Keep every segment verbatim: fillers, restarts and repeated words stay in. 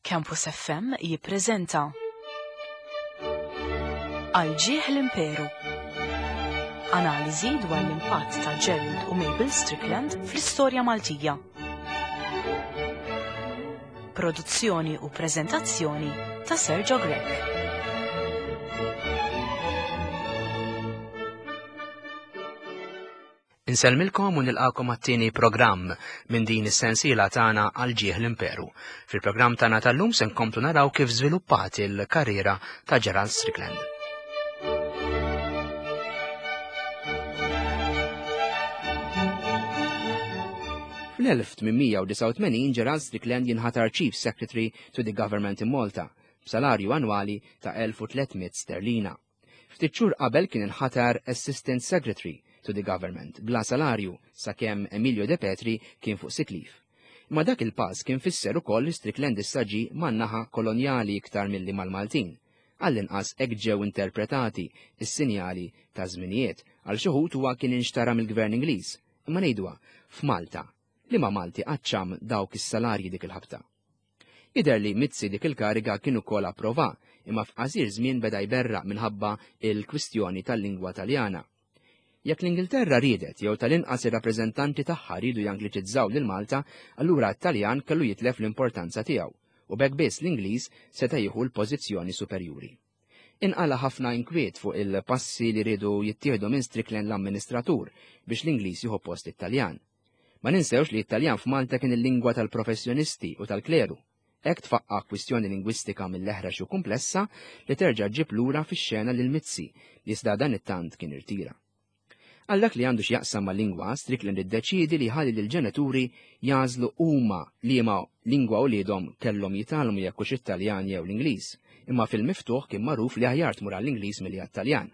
Campus F M jippreżenta Għal ġieħ l-Imperu. Analiżi dwar l-impatt ta' Gerald u Mabel Strickland fl-istorja Maltija. Produzzjoni u preżentazzjoni ta' Sergio Grech. Insellmilkom u nilqakom għat-tieni programm minn din is-sensiela tagħna Għal ġieħ l-Imperu. Fil-programm tagħna tal-lum se nkomplu naraw kif żviluppat il-karriera ta' Gerald Strickland. Fl-elf tmien mija u disgħa u tmenin Gerald Strickland jinħatar Chief Secretary to the Government in Malta b'salarju annwali ta' elf u tliet mitt sterlina. Ftit xhur qabel kien inħatar Assistant Secretary to the Government bla salarju sakemm Emilio De Petri kien fuq sick leave. Imma dak il-pass kien fisser ukoll li Strickland issa ġie man-naħa kolonjali iktar milli mal-Maltin. Għall-inqas hekk ġew interpretati is-sinjali ta' żminijiet. Għal xi wħud huwa kien inxtara mill-Gvern Ingliż. Imma ngħidwa, f'Malta, li ma Malti qaċċam dawk is-salarji dik il-ħabta. Jidher li Mizzi dik il-kariga kien ukoll approva, imma f'qasir żmien beda jberraq minħabba il-kwistjoni tal-lingwa Taljana. Jekk l-Ingilterra riedet jew tal-inqas ir-rappreżentanti tagħha riedu jangliċizzaw lil Malta, allura t-Taljan kellu jitlef l-importanza tiegħu u b'hekk biss l-Ingliż seta' jieħu l-pożizzjoni superjuri. Inqala ħafna inkwiet fuq il-passi li riedu jittieħdu minn Strickland l-amministratur biex l-Ingliż jieħu post it-Taljan. Ma ninsewx li t-Taljan f'Malta kien il-lingwa tal-professjonisti u tal-kleru. Hekk tfaqqa kwistjoni lingwistika mill-eħrax u komplessa li terġa' ġib lura fix-xena lil Mizzi li iżda dan it-tant kien irtira. Għal dak li għandu x'jaqsam ma' lingwa, Strickland iddeċiedi li ħalli lill-ġenituri jagħżlu huma liema lingwa uliedhom kellhom jitgħallmu, jekk hux it-Taljan jew l-Ingliż, imma fil-miftuħ kien magħruf li aħjar tmur għall-Ingliż milli għat-Taljan.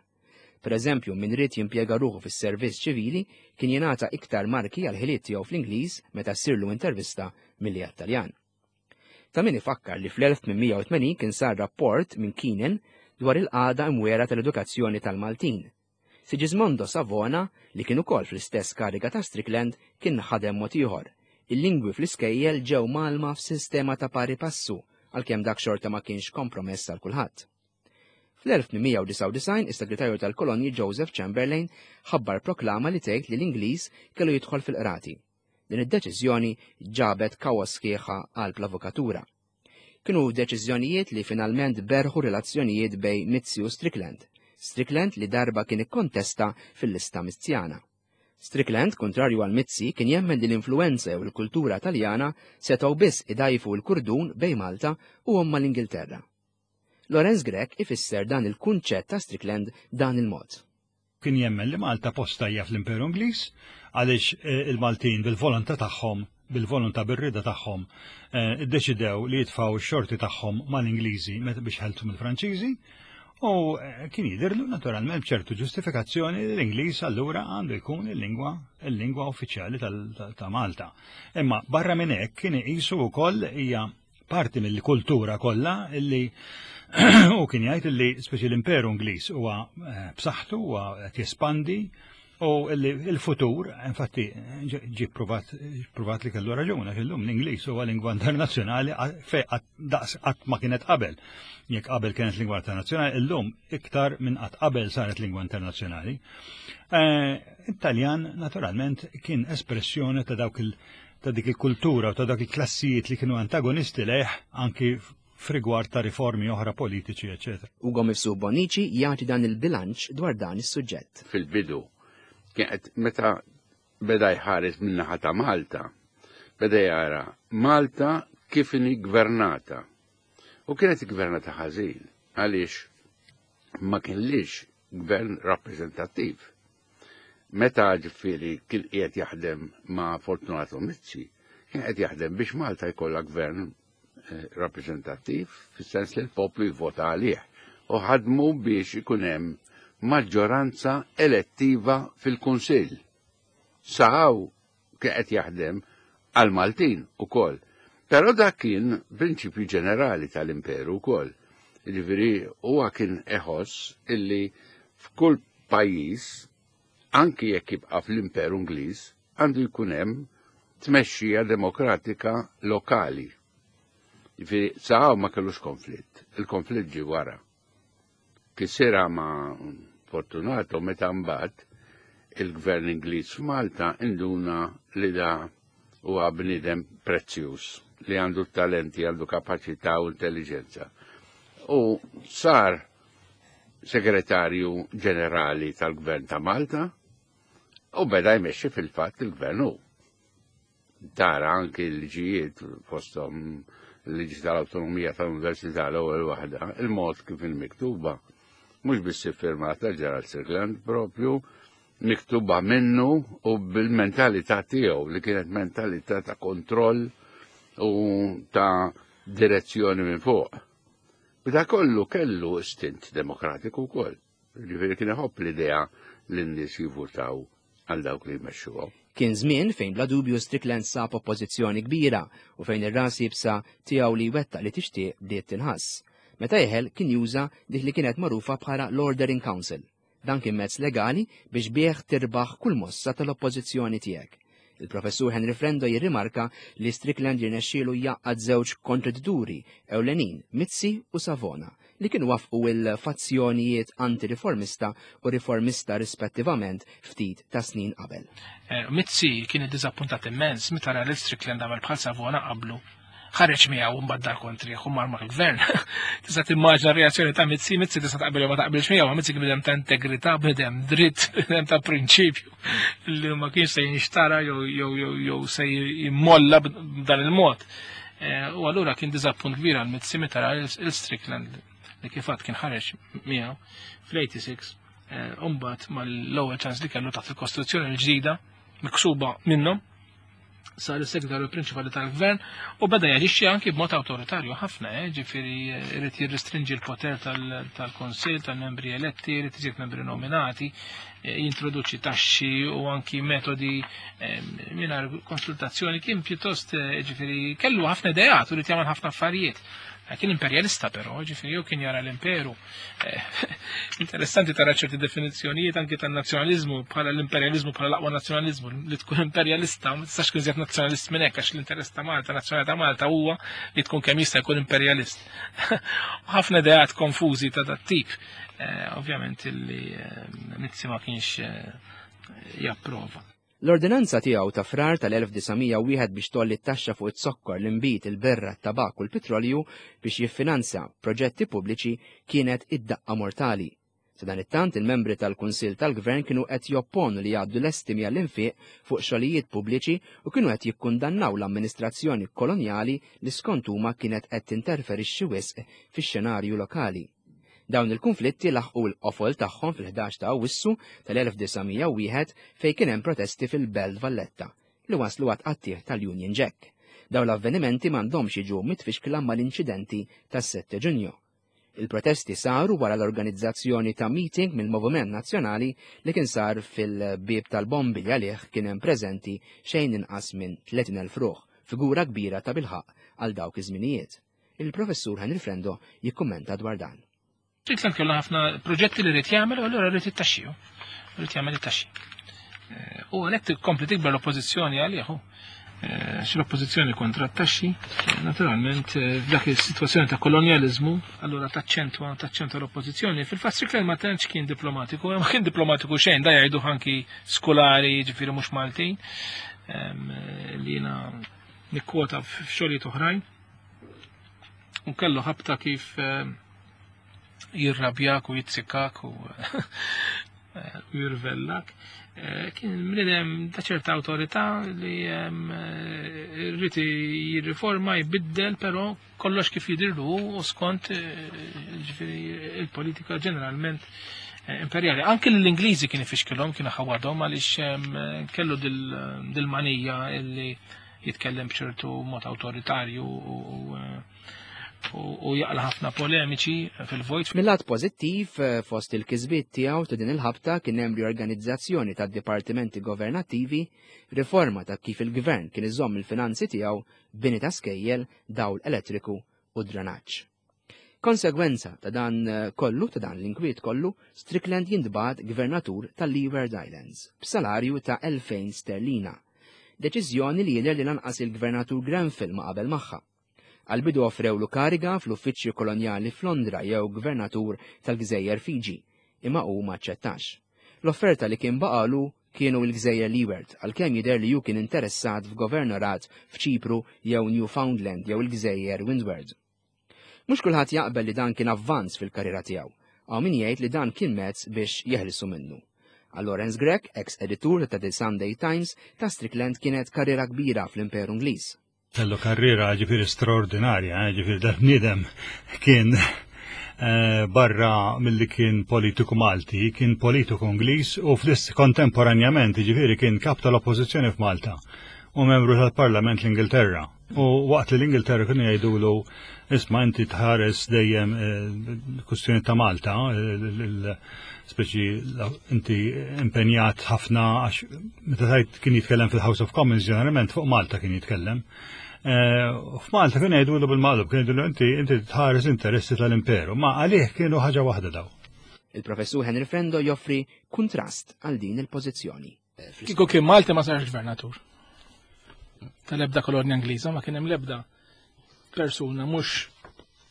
Per eżempju, min ried jimpjega ruħu fis-servizz ċivili kien jingħata iktar marki għal ħiliet tiegħu fl-Ingliż meta ssirlu intervista milli għat-Taljan. Ta' min ifakkar li fl-elf tmien mija u tmenin kien sar rapport minn Keenan dwar il-qagħda imwiegħra tal-edukazzjoni tal-Maltin. Sigismondo Savona, li kien ukoll fl-istess kariga ta' Strickland, kien ħadem mod ieħor. Il-lingwi fl-iskejjel ġew mgħallma f'sistema ta' pari passu, għalkemm dak xorta ma kienx kompromess għal kulħadd. Fl-elf tmien mija u disgħa u disgħin is-segretarju tal-kolonji Joseph Chamberlain ħabbar proklama li tgħid li l-Ingliż kellu jidħol fil-qrati. Din id-deċiżjoni ġabet kaos sħiħa għal l-avukatura. Kienu deċiżjonijiet li finalment berħu relazzjonijiet bejn Mizzi u Strickland. Strickland li darba kien ikkontesta fil-lista Mizzjana. Strickland, kontrarju għal Mizzi, kien jemmen li l-influenza u l-kultura Taljana setgħu biss idajfu l-kurdun bejn Malta u omma l-Ingilterra. Lorenz Grech ifisser dan il-kunċett ta' Strickland dan il-mod. Kien jemmen li Malta posta hija fl-Imperu Ingliż għaliex, eh, il-Maltin bil-volontà tagħhom, bil-volontà, bir-rida tagħhom, eh, iddeċidew li jitfgħu x-xorti tagħhom mal-Ingliżi meta biex ħeltu mill-Franċiżi. U, eh, kien jidhirlu naturalment b'ċertu ġustifikazzjoni li l-Ingliż allura għandu jkun il-lingwa il-lingwa uffiċjali ta' Malta. Imma barra minn hekk kien iqisu wkoll hija parti mill-kultura kollha illi u kien jgħid illi speċi l-Imperu Ingliż huwa, eh, b'saħħtu, huwa qed jespandi u il-futur, infatti ġi pruvat pruvat li kellu raġun, għax illum l-Ingliż huwa lingwa internazzjonali fej daqs qatt ma kienet qabel. Jekk qabel kienet lingwa internazzjonali, illum iktar minn qatt qabel saret lingwa internazzjonali. Eh, Italjan naturalment kien espressjoni ta' dawk il ta' dik il-kultura u ta' dak il-klassijiet li kienu antagonisti lejh anki f'rigward ta' riformi oħra politiċi, eccetera. Ugo Mifsud Bonnici jagħti dan il-bilanċ dwar dan is-suġġett. Fil-bidu, kienet meta beda jħares min-naħa ta' Malta, beda jara Malta kif inhi gvernata. U kienet gvernata ħażin, għaliex ma kienlix gvern rappreżentattiv. Meta ġifieri kien qiegħed jaħdem ma' Fortunato Mizzi, kien qed jaħdem biex Malta jkollha gvern, eh, rappreżentattiv, fis-sens li l-poplu jivvota għalih. U ħadmu biex ikun hemm maġġoranza elettiva fil-Kunsill. Saħaw kien qed jaħdem għal-Maltin ukoll. Però dak kien prinċipju ġenerali tal-imperu wkoll. Ġifieri huwa kien iħoss illi f'kull pajjiż, anki jekk jibqa' fl-Imperu Ingliż, għandu jkun hemm tmexxija demokratika lokali. Ġifieri saħaw ma kellux konflitt, il-konflitt ġie wara. Kisira ma' Fortunato meta mbagħad il-gvern Ingliż f'Malta induna li da huwa bniedem prezzjuż li għandu talenti, għandu kapaċità u intelligenza. U sar segretarju ġenerali tal-gvern ta' Malta u beda jmexxi fil-fatt il-gvern hu. Tara anki l-liġijiet fosthom l-liġi tal-awtonomija tal-Università l-ewwel waħda, il-mod kif il-miktuba, mhux biss iffirmata Gerald Strickland propju miktuba minnu u bil-mentalità tiegħu li kienet mentalità ta' kontroll u ta' direzzjoni minn fuq. B'da kollu kellu istint demokratiku wkoll. Ġifieri kien iħobb l-idea li n-nies jivvutaw għal dawk li jmexxuhom. Kien żmien fejn bla dubju Strickland sab oppożizzjoni kbira u fejn ir-ras iebsa tiegħu li wettaq li tixtieq bdiet tinħass. Meta jeħel kien juża dik li kienet magħrufa bħala l-Order in Council. Dan kien mezz legali biex bih tirbaħ kull mossa tal-oppożizzjoni tiegħek. Il-professur Henry Frendo jirrimarka li Strickland jirnexxielu jgħaqqad żewġ kontradituri ewlenin, Mizzi u Savona, li kienu wafqu il-fazzjonijiet anti-riformista u riformista rispettivament ftit ta' snin qabel. Eh, Mizzi kien iddiżappuntat immens meta ra li Strickland għamel bħal Savona qablu. Ħareġ miegħu mbagħad dar kontrih u mar mal-gvern. Tista' timmaġina r-reazzjoni ta' Mizzi, Mizzi tista' taqbel jew ma taqbilx miegħu, ma Mizzi kien bniedem ta' integrità, bniedem dritt, bniedem ta' prinċipju li ma kienx se jinxtara jew jew jew jew se jimmolla b'dan il-mod. Eh, U allura kien diżappunt kbir għal Mizzi meta ra il-Strickland li kif għedt kien ħareġ miegħu fl-eighty-six, mbagħad mal-ewwel ċans li kellu taħt il-Kostituzzjoni l-ġdida miksuba minnhom sar is-segretarju prinċipali tal-gvern u beda jaġixxi anki b'mod awtoritarju ħafna, eh, ġifieri irid jirrestrinġi l-poter tal-Kunsill, tal-membri eletti, irid iżid membri nominati, eh, jintroduċi taxxi u anki metodi eh, mingħajr konsultazzjoni. Kien pjuttost, eh, ġifieri kellu ħafna ideat u ried jagħmel ħafna affarijiet. Kien imperjalista però, ġifieri jew kien jara l-imperu. Eh, interessanti tara ċerti definizzjonijiet anki tan-nazzjonaliżmu bħala l-imperjaliżmu bħala l-aqwa nazzjonaliżmu, li tkun imperjalista, ma tistax tkun iżjed nazzjonalist minn hekk, għax l-interess ta' Malta, nazzjonali ta' Malta huwa li tkun kemm jista' jkun imperjalist. Ħafna ideat konfużi ta' dat tip. Eh, ovvjament illi eh, Mizzi ma kienx japprova. L-ordinanza tiegħu ta' Frar tal-elf disa' mija u wieħed biex tgħolli t-taxxa fuq it-zokkor, l-inbid, il-birra, t-tabak u l-petrolju biex jiffinanzja proġetti pubbliċi kienet id-daqqa mortali. Sadanittant il-membri tal-Kunsill tal-Gvern kienu qed jopponu li jgħaddu l-estimi għall-infiq fuq xogħlijiet pubbliċi u kienu qed jikkundannaw l-amministrazzjoni kolonjali li skont huma kienet qed tinterferixxi wisq fix-xenarju lokali. Dawn il-konflitti laħqu l-qofol tagħhom fil-ħdax ta' Awwissu tal-elf disa' mija u wieħed fejn kien hemm protesti fil-Belt Valletta li waslu għat-tqattigħ tal-Union Jack. Dawn l-avvenimenti m'għandhomx jiġu mitfixkla mal-inċidenti tas-sette Ġunju. Il-protesti saru wara l-organizzazzjoni ta' meeting mill-Moviment Nazzjonali li kien sar fil-bib tal-bombi li għalih kien hemm preżenti xejn inqas minn tletin elf ruħ, figura kbira ta' bilħaq għal dawk iż-żminijiet. Il-professur Henry Frendo jikkummenta dwar dan. Strickland kellu ħafna proġetti li ried jagħmel u allura ried it-taxxi. Ried jagħmel it-taxxi. Eh, u għalhekk tkompli tikber l-oppożizzjoni għalih. Eh, xi l-oppożizzjoni kontra t-taxxi, naturalment eh, f'dak is-sitwazzjoni ta' kolonjaliżmu, allura taċċentwa taċċentwa l-oppożizzjoni. Fil-fatt Strickland ma tantx kien diplomatiku, ma kien diplomatiku xejn, da jgħidu anki skolari, ġifieri mhux Maltin, li jiena nikkwota f'xogħlijiet oħrajn. U kellu ħabta kif jirrabjak u jitzikak u jirvellak. Eh, kien bniedem ta' ċerta awtorità li rrid jirriforma, jbiddel, però kollox kif jidirlu u skont eh, ġifieri il-politika ġeneralment eh, imperjali. Anke l-Ingliżi kien ifixkilhom, kien ħawadhom għaliex kellu dil-manija illi jitkellem b'ċertu mod awtoritarju u u jaqla ħafna polemiċi fil-vojt. Mill-lat pożittiv, eh, fost il-kisbiet tiegħu ta' din il-ħabta kien hemm riorganizzazzjoni tad-dipartimenti governattivi, riforma ta' kif il-gvern kien iżomm il-finanzi tiegħu, bini ta' skejjel, dawl elettriku u drenaġġ. Konsegwenza ta' dan eh, kollu, ta' dan l-inkwiet kollu, Strickland jintbagħat gvernatur tal-Leeward Islands b'salarju ta' elfejn sterlina. Deċiżjoni li jidher li lanqas il-gvernatur Grenfell ma qabel magħha. Għal-bidu offrewlu kariga fl-uffiċċju kolonjali f'Londra jew gvernatur tal-Gżejjer Fiji, imma hu ma aċċettax. L-offerta li kien baqalu kienu l-Gżejjer Leeward, għalkemm jidher li hu kien interessat f'governorat f'Ċipru jew Newfoundland jew il-Gżejjer Windward. Mhux kulħadd jaqbel li dan kien avvanz fil-karriera tiegħu, hawn min jgħid li dan kien mezz biex jeħlisu minnu. Għal Lawrence Grech, ex-editur ta' The Sunday Times, ta' Strickland kienet karriera kbira fl-Imperu Ingliż. Kellu karriera ġifieri straordinarja, eh, ġifieri dal-bniedem kien eh, barra milli kien politiku Malti, kien politiku Ingliż u fl kontemporanjament ġifieri kien kap tal-Oppożizzjoni f'Malta u membru tal-Parlament l-Ingilterra. U waqt li l-Ingilterra kienu jgħidulu isma' inti tħares dejjem eh, kwistjoni ta' Malta, speċi inti impenjat ħafna għax meta tajt kien jitkellem fil-House of Commons ġeneralment fuq Malta kien jitkellem. Eh, f'Malta kien jgħidulu bil-maqlub, kien jgħidulu inti inti tħares interessi tal-imperu, ma għalih kienu ħaġa waħda daw. Il-professur Henry Frendo joffri kuntrast għal din il-pożizzjoni. Kieku kien Malti ma sarx gvernatur. Tal-ebda kolonja Ingliża ma kien hemm l-ebda persuna mhux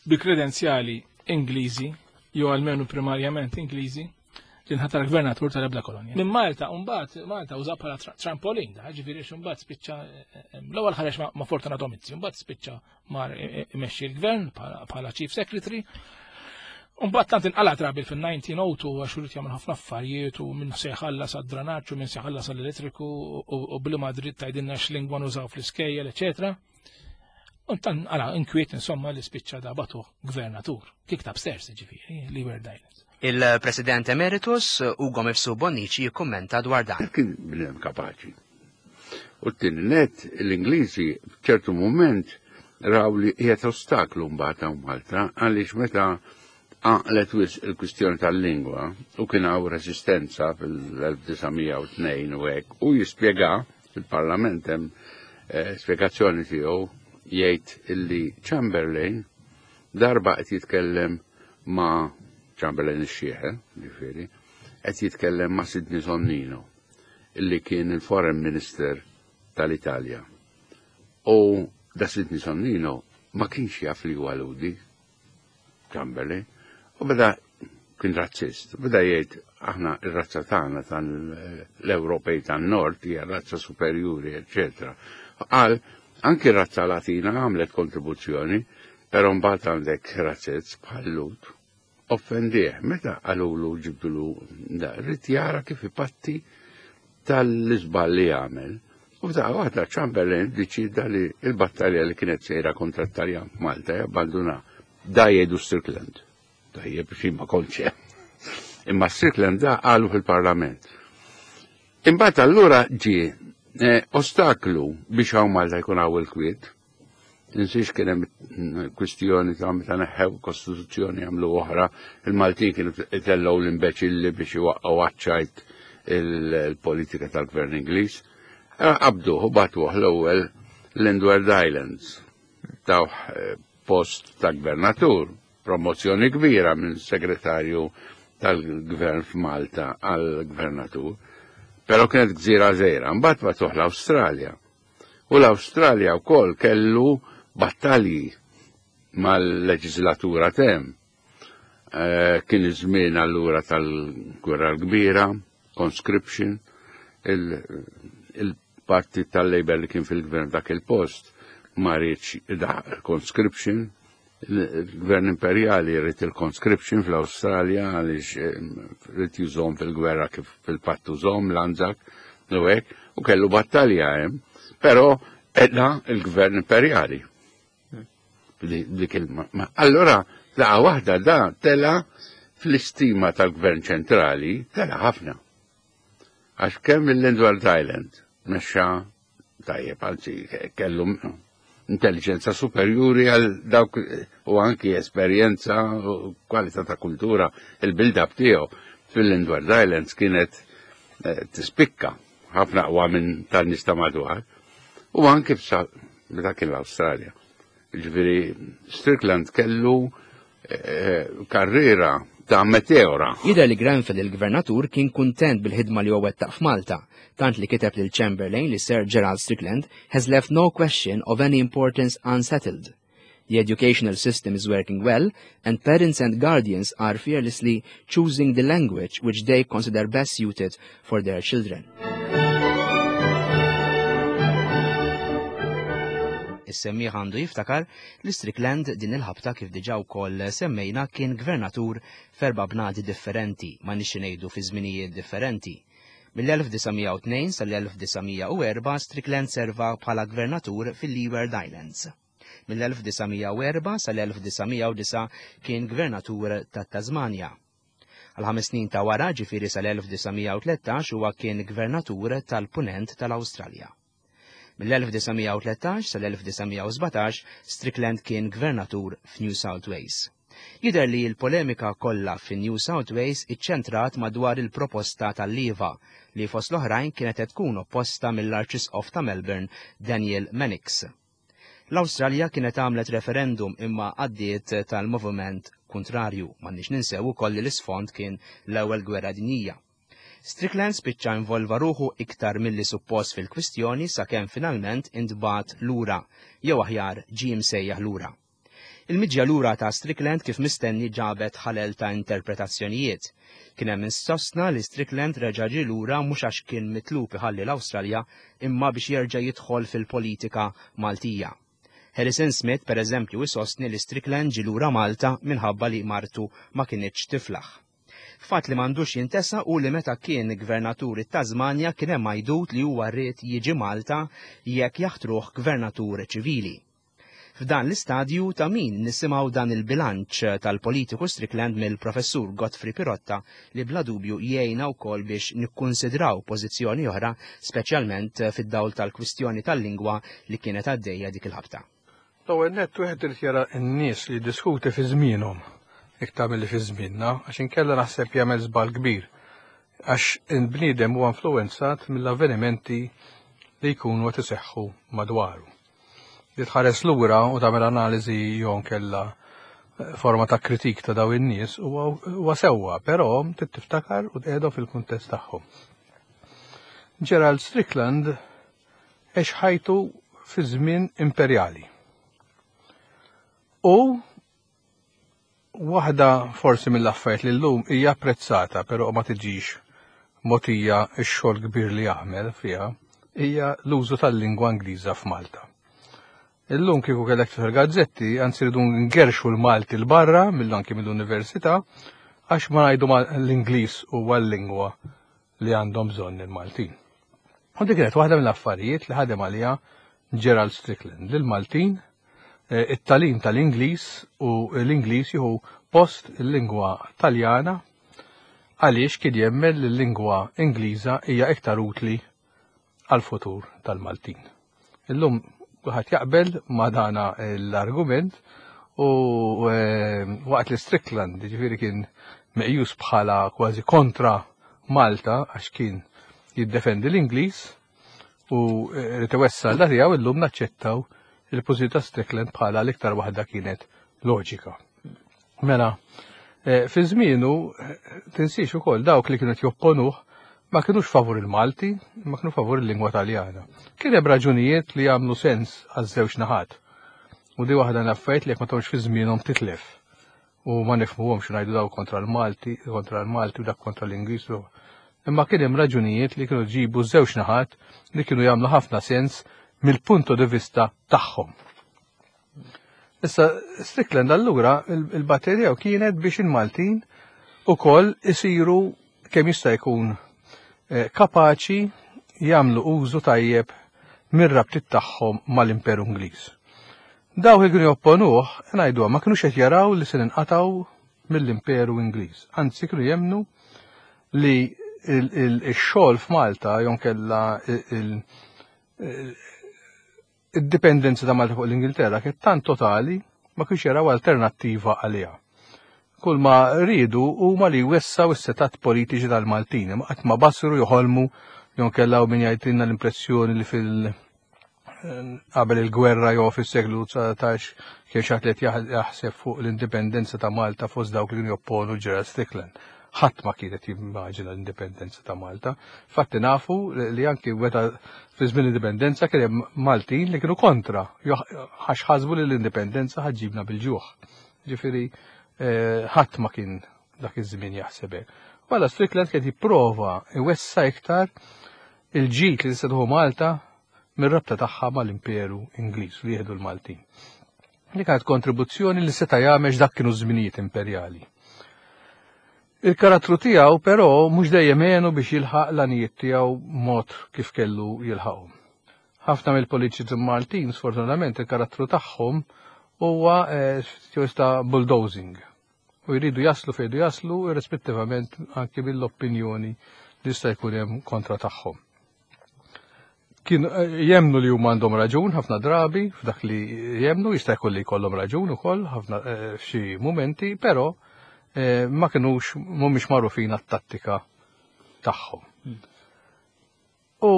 bi kredenzjali Ingliżi jew almenu primarjament Ingliżi li nħatar gvernatur tal-ebda kolonja. Minn Malta, mbagħad Malta uża bħala trampolin, da, ġifieri mbagħad spiċċa l-ewwel ħareġ ma' Fortunato Mizzi, mbagħad spiċċa mar imexxi l-gvern bħala Chief Secretary. Mbagħad tant inqala trabil fil-elf disa' mija u tnejn għax irid jagħmel ħafna affarijiet u minn se jħallas għad-dranaġġ u minn se jħallas għall-elettriku u bli Madrid tgħidilna x'lingwa nużaw fl-iskejjel, eċetera. U tan għala inkwiet insomma li spiċċa da bagħtuh gvernatur. Kicked upstairs ġifieri, Leeward Islands. Il-President Emeritus Ugo Mifsud Bonnici jikkummenta dwar dan. Kien bniedem kapaċi. U t-tieni net l-Ingliżi f'ċertu moment raw li qiegħed ostaklu mbagħad hawn Malta għaliex meta għaqlet wisq il-kwistjoni tal-lingwa u kien hawn resistenza fil-elf disa' mija u tnejn u hekk u jispjega fil-Parlament hemm eh, spjegazzjoni tiegħu jgħid illi Chamberlain darba qed jitkellem ma' Chamberlain ix-xieħ, ġifieri, qed jitkellem ma' Sidney Sonnino, illi kien il-Foreign Minister tal-Italja. U da Sidney Sonnino ma kienx jaf li huwa Lhudi, Chamberlain, u beda kien razzist, beda jgħid aħna ir-razza tagħna tal-Ewropej tan-Nord hija razza superjuri, eċetera. Qal anki r-razza Latina għamlet kontribuzzjoni, però mbagħad għandek razzez bħal Lhud. Offendih, meta qalulu ġibdulu da, rrid jara kif ipatti tal-iżball li għamel. U f'daqqa waħda Chamberlain deċida li il-battalja li kienet sejra kontra t-Taljan f'Malta jabbanduna. Da jgħidu Strickland. Tajjeb biex ma kontx hemm. Imma Strickland da qalu fil-Parlament. Imbagħad allura ġie eh, ostaklu biex hawn Malta jkun hawn il-kwiet. Tinsiex kien hemm kwistjoni ta' meta neħħew kostituzzjoni għamlu oħra, il-Maltin kienu itellgħu l-imbeċilli biex iwaqqgħu għaċ-ċajt il-politika tal-gvern Ingliż. Qabduh u bagħtuh l-ewwel l-Windward Islands. Tawh eh, post ta' gvernatur, promozzjoni kbira minn segretarju tal-gvern f'Malta għal gvernatur. Però kienet gżira żgħira, mbagħad bagħtuh l-Awstralja. U l-Awstralja wkoll kellu battalji mal-leġislatura t'hemm. Eh, kien iż-żmien allura tal-Gwerra l-Kbira, conscription, il-partit tal-Labor li kien fil-gvern dak il-post ma riedx conscription, il-gvern imperjali ried il-conscription fl-Australja għaliex eh, ried jużahom fil-gwerra kif fil-pattu żomm l-Anzac u hekk, u kellu battalja hemm, però edna il-gvern imperjali. Dik il Allora, daqqa waħda da tela fl-istima tal-gvern ċentrali, tela ħafna. Għax kemm il-Windward Island mexxa tajjeb, anzi kellu intelligenza superjuri għal dawk u anki esperjenza u kwalità ta' kultura il-build-up tiegħu fil-Windward Islands kienet eh, tispikka ħafna aqwa minn tan-nies ta' madwar u anki meta kien l-Awstralja. Ġifieri Strickland kellu eh, karriera ta' meteora. Jidher li Grenfell il-gvernatur kien kuntent bil-ħidma li huwa wettaq f'Malta, tant li kiteb lil Chamberlain li Sir Gerald Strickland has left no question of any importance unsettled. The educational system is working well, and parents and guardians are fearlessly choosing the language which they consider best suited for their children. Is-semmiegħ għandu jiftakar li Strickland din il-ħabta kif diġà wkoll semmejna kien gvernatur f'erba' bnadi differenti, ma nixi ngħidu fi żminijiet differenti. Mill-elf disa' mija u tnejn sal-elf disa' mija u erba' Strickland serva bħala gvernatur fil-Leeward Islands. Mill-elf disa' mija u erba' sal-elf disa' mija u disa' kien gvernatur ta' Tasmania. Għal ħames snin ta' wara, ġifieri sal-elf disa' mija u tlettax, huwa kien gvernatur tal-Punent tal-Awstralja. Mill-elf disa' mija u tlettax sal-elf disa' mija u sbatax, Strickland kien gvernatur f'New South Wales. Jidher li l-polemika kollha fi New South Wales iċċentrat madwar il-proposta tal-Liva li fost l-oħrajn kienet qed tkun opposta mill-Arċisqof ta' Melbourne, Daniel Mannix. L-Awstralja kienet għamlet referendum imma għaddiet tal-moviment kontrarju, m'għandniex ninsew ukoll li l-isfond kien l-ewwel gwerra dinjija. Strickland spiċċa involva ruħu iktar milli suppost fil-kwistjoni sakemm finalment intbagħat lura, jew aħjar ġie msejjaħ lura. Il-miġja lura ta' Strickland kif mistenni ġabet ħalel ta' interpretazzjonijiet. Kien hemm insostna li Strickland reġa' ġie lura mhux għax kien mitlub iħalli l-Awstralja imma biex jerġa' jidħol fil-politika Maltija. Harrison Smith, per eżempju, isostni li Strickland ġie lura Malta minħabba li martu ma kinitx tiflaħ. Fatt li m'għandux jintesa u li meta kien gvernatur it-Tasmanja kien hemm għajdut li huwa rrid jiġi Malta jekk jaħtruh gvernatur ċivili. F'dan l-istadju ta' min nisimgħu dan il-bilanċ tal-politiku Strickland mill-professur Godfrey Pirotta li bla dubju jgħinna wkoll biex nikkunsidraw pożizzjoni oħra, speċjalment fid-dawl tal-kwistjoni tal-lingwa li kienet għaddejja dik il-ħabta. L-ewwel nett wieħed irid jara n-nies li jiddiskuti fi żmienhom iktar milli fi żmienna, għax inkella naħseb jagħmel żball kbir, għax il-bniedem huwa influwenzat mill-avvenimenti li jkunu qed iseħħu madwaru. Li tħares lura u tagħmel analiżi jew nkella forma ta' kritik ta' daw in-nies huwa sewwa, però trid tiftakar u tqiegħdu fil-kuntest tagħhom. Gerald Strickland għex ħajtu fi żmien imperjali. U waħda forsi mill-affarijiet li llum hija apprezzata, però ma tiġix mogħtija x-xogħol kbir li jagħmel fiha, hija l-użu tal-lingwa Ingliża f'Malta. Illum kieku kellek tfel gazzetti, anzi rridu ngerxu l-Malti l-barra, mill-anki mill-università, għax ma ngħidu l-Ingliż huwa l-lingwa li għandhom bżonn il-Maltin. U dik kienet waħda mill-affarijiet li ħadem għaliha Gerald Strickland, li l-Maltin, eh, it-talim tal-Ingliż u l-Ingliż jieħu post il-lingwa Taljana għaliex kien jemmen li l-lingwa Ingliża hija iktar utli għal-futur tal-Maltin. Illum kulħadd jaqbel ma' dana l-argument u, eh, waqt li Strickland ġifieri kien meqjus bħala kważi kontra Malta għax kien jiddefendi l-Ingliż u, eh, li tewessa l tiegħu, illum naċċettaw il-pożizzjoni ta' Strickland bħala l-iktar waħda kienet loġika. Mela, eh, fi żmienu, eh, tinsiex ukoll dawk li kienu jopponuh ma kienux favur il-Malti, ma kienu favur il-lingwa Taljana. Kien hemm raġunijiet li jagħmlu sens għaż-żewġ naħat. U di waħda l-affarijiet li jekk ma tgħux fi żmienhom titlef. U ma nifhmuhomx ngħidu daw kontra l-Malti, kontra l-Malti u dak kontra l-Ingliż. Imma kien hemm raġunijiet li kienu ġibu żewġ naħat li kienu jagħmlu ħafna sens mill-punto di vista tagħhom. Issa Strickland allura il-batterija kienet biex il-Maltin ukoll isiru kemm jista' jkun, eh, kapaċi jagħmlu użu tajjeb mir-rabtiet tagħhom mal-Imperu Ingliż. Dawk li kienu jopponuh, ngħiduha, ma kinux qed jaraw li se ninqatgħu mill-Imperu Ingliż. Anzi kienu jemmnu li il-, il-, ix-xogħol f'Malta jew kellha il-, il-, id-dipendenza ta' Malta fuq l-Ingilterra kienet tant totali ma kienx jaraw alternattiva għaliha. Kull ma riedu huma li jwessaw is-setat politiċi tal-Maltin, ma qatt ma basru joħolmu jew kellha min jgħidilna l-impressjoni li fil- qabel il-gwerra jew fis-seklu dsatax kien xi ħadd li jaħseb fuq l-indipendenza ta' Malta fost dawk li kienu jopponu Gerald Strickland. Ħadd ma kienet jimmaġina l-indipendenza ta' Malta. Fatti nafu li anki meta fi żmien l-indipendenza kien hemm Maltin li kienu kontra, għax ħasbu li l-indipendenza ħa ġġibna bil-ġuħ. Ġifieri ħadd ma kien dak iż-żmien jaħseb hekk. Wala Strickland kien jipprova iwessa iktar il-ġid li tista' Malta mir-rabta tagħha mal-Imperu Ingliż li jieħdu l-Maltin. Li kienet kontribuzzjoni li seta' jagħmel dak kienu żminijiet imperjali. Il-karattru tiegħu però mhux dejjem għenu biex jilħaq l-għanijiet tiegħu mod kif kellu jilħaqhom. Ħafna mill-politiċi Maltin, sfortunatament, il-karattru tagħhom huwa ta' bulldozing. U jridu jaslu fejn jaslu irrispettivament anki mill-opinjoni li jista' jkun hemm kontra tagħhom. Kien jemnu li huma għandhom raġun ħafna drabi f'dak li jemnu, jista' jkun li jkollhom raġun ukoll ħafna f'xi mumenti, però ma kinux mhumiex magħrufin għat-tattika tagħhom. U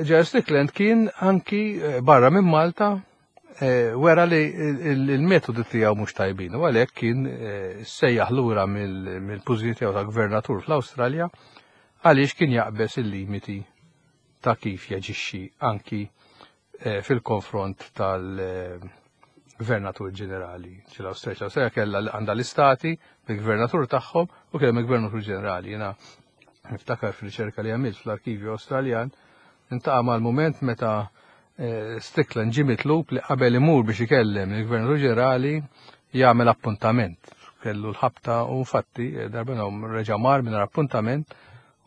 Gerald Strickland kien anki barra minn Malta wera li il-metodi tiegħu mhux tajbin, u għalhekk kien sejjaħ lura mill-pożizzjoni tiegħu ta' gvernatur fl-Awstralja għaliex kien jaqbeż il-limiti ta' kif jaġixxi anki fil-konfront tal-gvernatur ġenerali ġel-Awstralja. L-Awstralja kellha għandha l-istati bil-gvernatur tagħhom u kellha il-gvernatur ġenerali. Jiena niftakar fil-riċerka li għamilt fl-arkivju Awstraljan intaqa' mal-mument meta Strickland ġie mitlub li qabel imur biex ikellem il-gvernatur ġenerali jagħmel appuntament. Kellu l-ħabta u infatti darba reġa' mar minn appuntament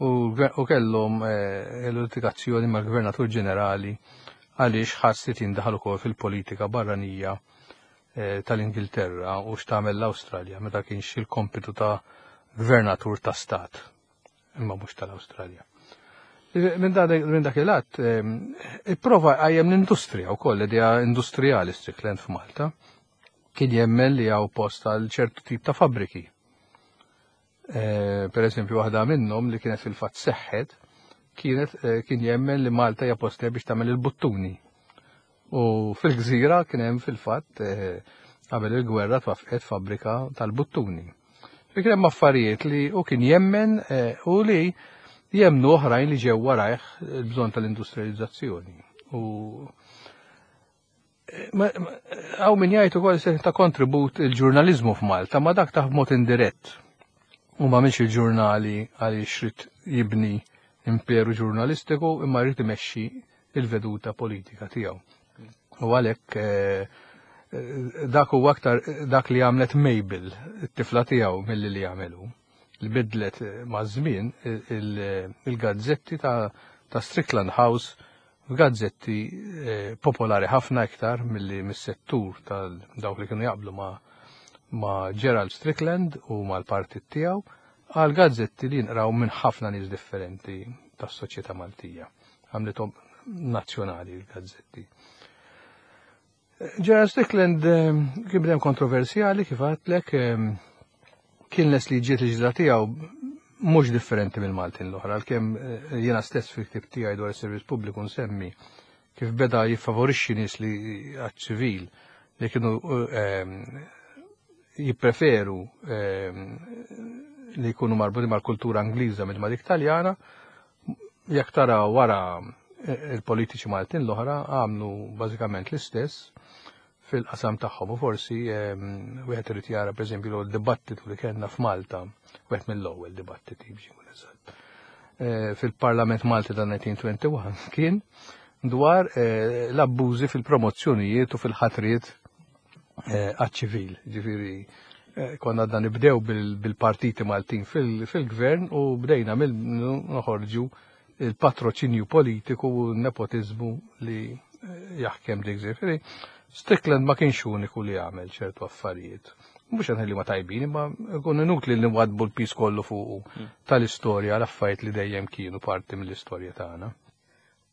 u kellhom l-litigazzjoni mal-gvernatur ġenerali għaliex ħass li tindaħal ukoll fil-politika barranija tal-Ingilterra u x'tagħmel l-Awstralja meta kienx il-kompitu ta' gvernatur ta' stat imma mhux tal-Awstralja. Minn dak il-att, ipprova qajjem l-industrija wkoll, idea industrijali Strickland f'Malta, kien jemmen li hawn post għal ċertu tip ta' fabbriki. Per eżempju, waħda minnhom li kienet fil-fatt seħħet, kienet kien jemmen li Malta hija post biex tagħmel il-buttuni. U fil-gżira kien hemm fil-fatt qabel il-gwerra twaffqet fabbrika tal-buttuni. Kien hemm affarijiet li u kien jemmen u li jemnu oħrajn li ġew warajh il-bżonn tal-industrializzazzjoni. U hawn min jgħid ukoll se ta' kontribut il-ġurnaliżmu f'Malta, ma dak ta' b'mod indirett. U ma minx il-ġurnali għaliex rid jibni imperu ġurnalistiku imma jrid imexxi il-veduta politika tiegħu. U għalhekk dak huwa aktar dak li għamlet Mabel, it-tifla tiegħu milli li għamelu. Li bidlet ma' żmien il-gazzetti ta' Strickland House f'gazzetti popolari ħafna iktar milli mis-settur tal dawk li kienu jaqblu ma' ma' Gerald Strickland u mal-partit tiegħu għal gazzetti li jinqraw minn ħafna nies differenti tas-soċjetà Maltija. Għamlithom nazzjonali l-gazzetti. Gerald Strickland kien bnedem kontroversjali kif għadtlek, kien les li ġiet il-ġidra tiegħu mhux differenti mill-Maltin l-oħra, għalkemm jiena stess fil-ktib tiegħi dwar is-servizz pubbliku nsemmi kif beda jiffavorixxi nies li għaċ-ċivil li kienu jippreferu li jkunu marbuti mal-kultura Ingliża mill ma dik Taljana, jekk tara wara il-politiċi Maltin l-oħra għamlu bażikament l-istess fil-qasam tagħhom u forsi wieħed irid jara pereżempju l-dibattitu li kellna f'Malta, wieħed mill-ewwel dibattiti biex inkun eżatt. Fil-Parlament Malti ta' nineteen twenty-one kien dwar l-abbużi fil-promozzjonijiet u fil-ħatriet għaċ-ċivil. Ġifieri konna għadna nibdew bil-partiti Maltin fil-gvern u bdejna mill noħorġu il-patroċinju politiku u n-nepotiżmu li jaħkem dik. Ġifieri Strickland ma kienx uniku li għamel ċertu affarijiet. Mhux qed li ma tajbin, imma jkun inutli li nwadbu l-pis kollu fuq tal-istorja l-affarijiet li dejjem kienu parti mill-istorja tagħna.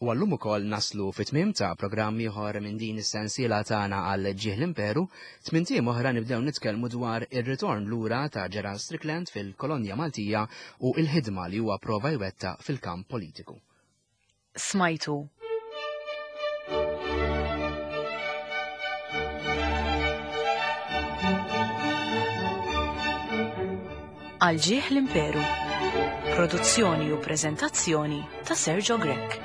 U għallum ukoll naslu fit-tmiem ta' programm ieħor minn din is-sensiela tagħna għal ġieħ l-Imperu, tmien ijiem oħra nibdew nitkellmu dwar ir-ritorn lura ta' Gerald Strickland fil-Kolonja Maltija u l-ħidma li huwa prova jwettaq fil-kamp politiku. Smajtu Għal ġieħ l-Imperu. Produzzjoni u preżentazzjoni ta' Sergio Grech.